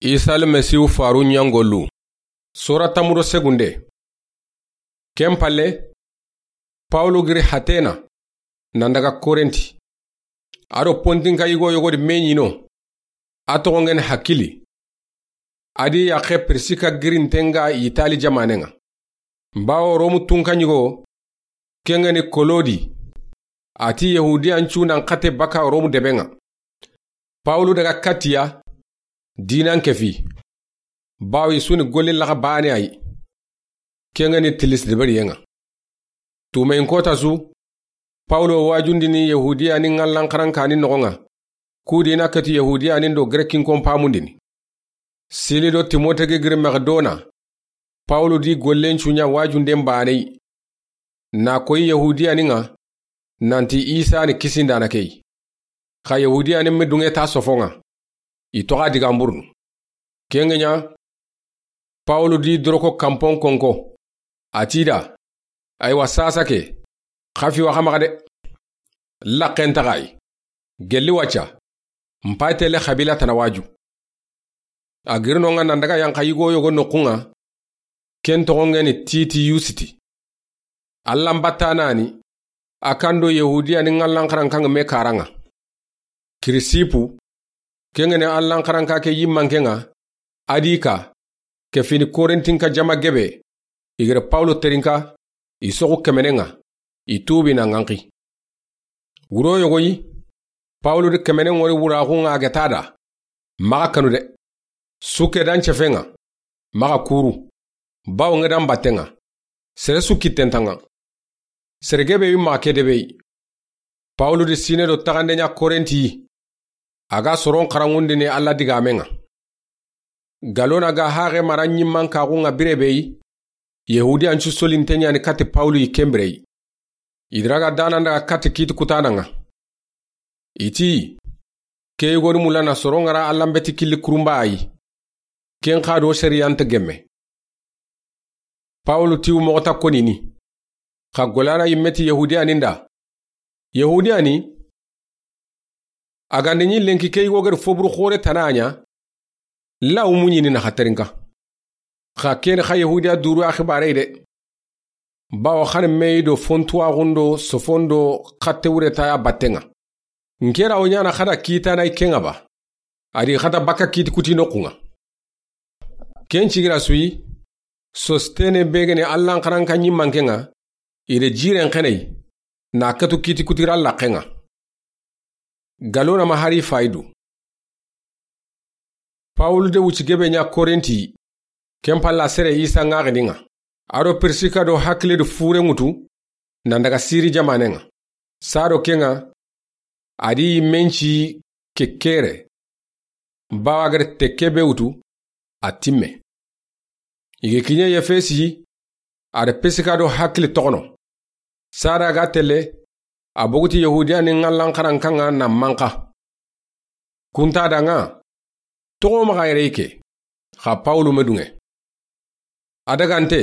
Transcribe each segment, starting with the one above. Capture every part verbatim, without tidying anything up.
Isa Almasihu faarun ɲa gollu. Sora tanmu do segunde. Ken palle, Pawulu giri Atena, nan daga Korinti. A do Pontinka yigo yogo di me ɲi no, a toxo ŋa ni Akili. A di yaxe Pirisika girinten ŋa Itali jamaanen ŋa. Bawo Romu tunka ɲigo, ken ŋa ni Kolodi, a ti Yahudiyancu nan xate baka Romu deben ŋa. Pawulu daga kati i ya, diinan kefi. Bawo i su ni golli laxa baane a yi. Ken ŋa ni tilisi deberiyen ŋa. Tuumeyin koota su, Pawulu wa waajundini Yahudiyanin ŋallan xarankaani noxon ŋa, ku di na keti Yahudiyanin do Gerekinkon paamundini. Sili do Timote ga giri Makedona, Pawulu di gollencu ɲa waajunden baane yi. Na koyi Yahudiyanin ŋa, nanti Isa ni kisindaana ke yi. Xa Yahudiyanin me duŋe ta sofon ŋa, i toxo a digan burunu. Ken ŋa ɲa, Pawulu di doroko kanpon konko. A ti i da, aywa, saasa ke, xa fi wa xa maxa de. Laxen taxa yi. Gelli wacca. N pay tele xabila tana waaju. A giri no ŋa nan daga yanxa yigo yogo noxun ŋa, ken toxon ŋa ni Titiyusi ti. Allan battaana ni, a kan do Yahudiyanin ŋallan xarankan ŋa me karan ŋa. Kirisipu, ken ŋa ni Allan xaranka ke yimmanken ŋa, a di ka, ke fini Korintinka jama gebe, i giri Pawulu terinka, i soxu kemenen ŋa, i tuubi na ŋanxi. Wuro yogo yi, Pawulu di kemenen ŋori wuraxun ŋa a ga ta da, maxa kanu de. Suke dan cefen ŋa, maxa kuru, bawo ŋa dan batten ŋa, sere su kitten ta ŋa. Sere gebe wi maxa ke debe yi. Pawulu di siine do taxande ɲa Korinti, a ga soron xaranŋundini Alla digaamen ŋa. Galona ga haxe mara ɲimman kaxun ŋa bire be yi, Yahudiyancu solinten ɲa ni kati Pawulu yi ken bire yi. I diraga danan daga kati kiiti kutaanan ŋa. I ti, ke yogoni mulla na soron ŋa ra Allan beti killi kurunba a yi. Ken xa do sariyan nta gemme. Pawulu ti wu moxo ta konini. Xa golana yimme ti Yahudiyanin da. Yahudiyani, a ga nda ɲi lenki ke yigo geri foburu xoore tana ɲa, lawu mu ɲini na xa terinka. Xa ken xa Yahudiya duuru ya xibaare de. Bawo xa ni me yi do fontuwaxun do sofon do xatte wure ta ya batten ŋa. N ke ra wo ɲaana xa da kiitana yi ken ŋa ba. A di xa ta bakka kiiti kuti noxun ŋa. Ken cigira su yi, Sostene be ga ni Allan xaranka ɲimmanken ŋa, i de jiren xeney, na katu kiiti kutira laxen ŋa. Galona ma hari fayidu. Pawulu de wuci gebe ɲa Korinti, ken palla sere Isa ŋaxinin ŋa. A do Pirisika do Hakile di fure ŋutu, nan daga Siri jamanen ŋa. Sado ken ŋa, a di menci ke kere. Bawa gari tekke be wutu, a timme. I ga kiɲe Yefesi, a da Pirisika do Hakile toxono. Sada ga telle, a boguti Yahudiyanin ŋallan xarankan ŋa na manxa. Kunta da ŋa, toxo maxa yere ke, xa Pawulu me duŋe. A dagante,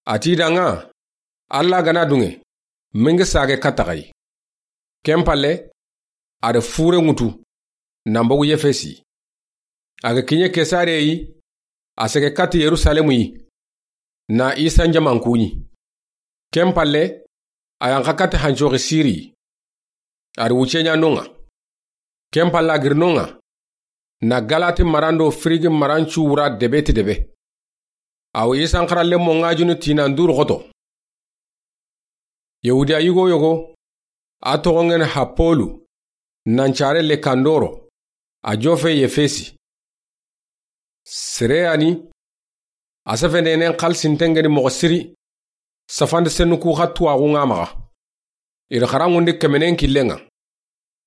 a ti da ŋa, Alla ga na duŋe, me ŋa sage katta xa yi. Ken palle, a da fure ŋutu, nan bogu Yefesi. A ga kiɲe Kesare yi, a sege katti Yerusalemu yi, na Isa n jaman kuɲi. Ken palle, a yanxa katti hancoxi Siri yi. A da wuce ɲa non ŋa. Ken palla a giri non ŋa, na Galati maran do Firigi marancu wura debe ti debe. A wo Isan xaranlenmo ŋajunu tinan duuru xoto. Yahudiya yigo yogo, a toxon ŋa ni Hapolu, nan care le kandoro, a jofe Yefesi. Sere ya ni, a sefendenen xalisinten ŋa ni moxo siri, safandi sennu ku xa tuwaxu ŋa maxa. I da xaranŋundi kemenen killen ŋa.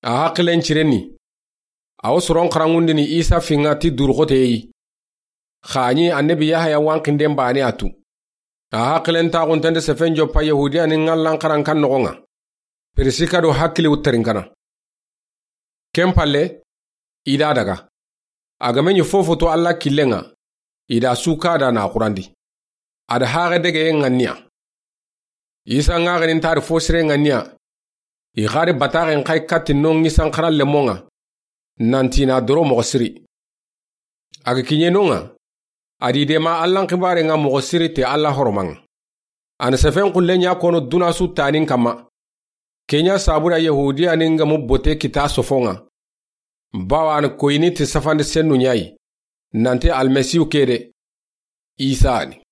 A haxilen cirenni. A wo soron xaranŋundini Isa fi ŋa ti duuru xote yi. Xa a ɲi annabi Yahaya wanxinden baane a tu. A haxilen taxunten da sefen joppa Yahudiyanin ŋallan xarankan noxon ŋa. Pirisika do Hakile wutterinkana. Ken palle, i da daga. A ga me ɲi fofo to Alla killen ŋa, i da su ka da na xurandi. A da haxe dege ŋa niya. Isa ŋaxenin ta da fo sire ŋa niya. I xari bataxen xa yi katti non Isan xaranlenmo ŋa. Nanti na doro moxo siri. A ga kiɲe no ŋa, a di de ma Allan xibaare ŋa moxo siri te Alla horoman ŋa. A na sefen xulle ɲa kono duna su tanin kanma. Ke ɲa sabu da Yahudiyanin ga mu bote kita sofon ŋa. Bawa a na koyini ti safandi sennu ɲa yi, nanti Almasihu ke de, Isa ni.